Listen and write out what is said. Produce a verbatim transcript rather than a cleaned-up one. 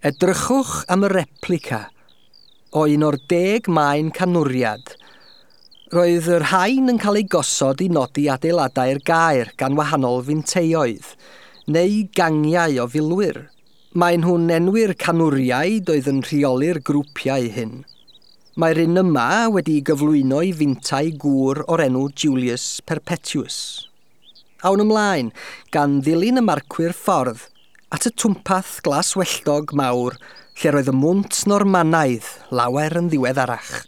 Edrychwch am y replica o un o'r deg maen canwriad. Roedd yr rhain yn cael eu gosod i nodi adeiladau'r gaer gan wahanol finteioedd, neu gangiau o filwyr. Maen nhw'n enwi'r canwriaid oedd yn rheoli'r grwpiau hyn. Mae'r un yma wedi'i gyflwyno i fintai gŵr o'r enw Julius Perpetuus. Awn ymlaen, gan ddilyn y marcwyr ffordd, at y twmpath glaswelltog mawr lle roedd y mwnt Normanaidd lawer yn ddiweddarach.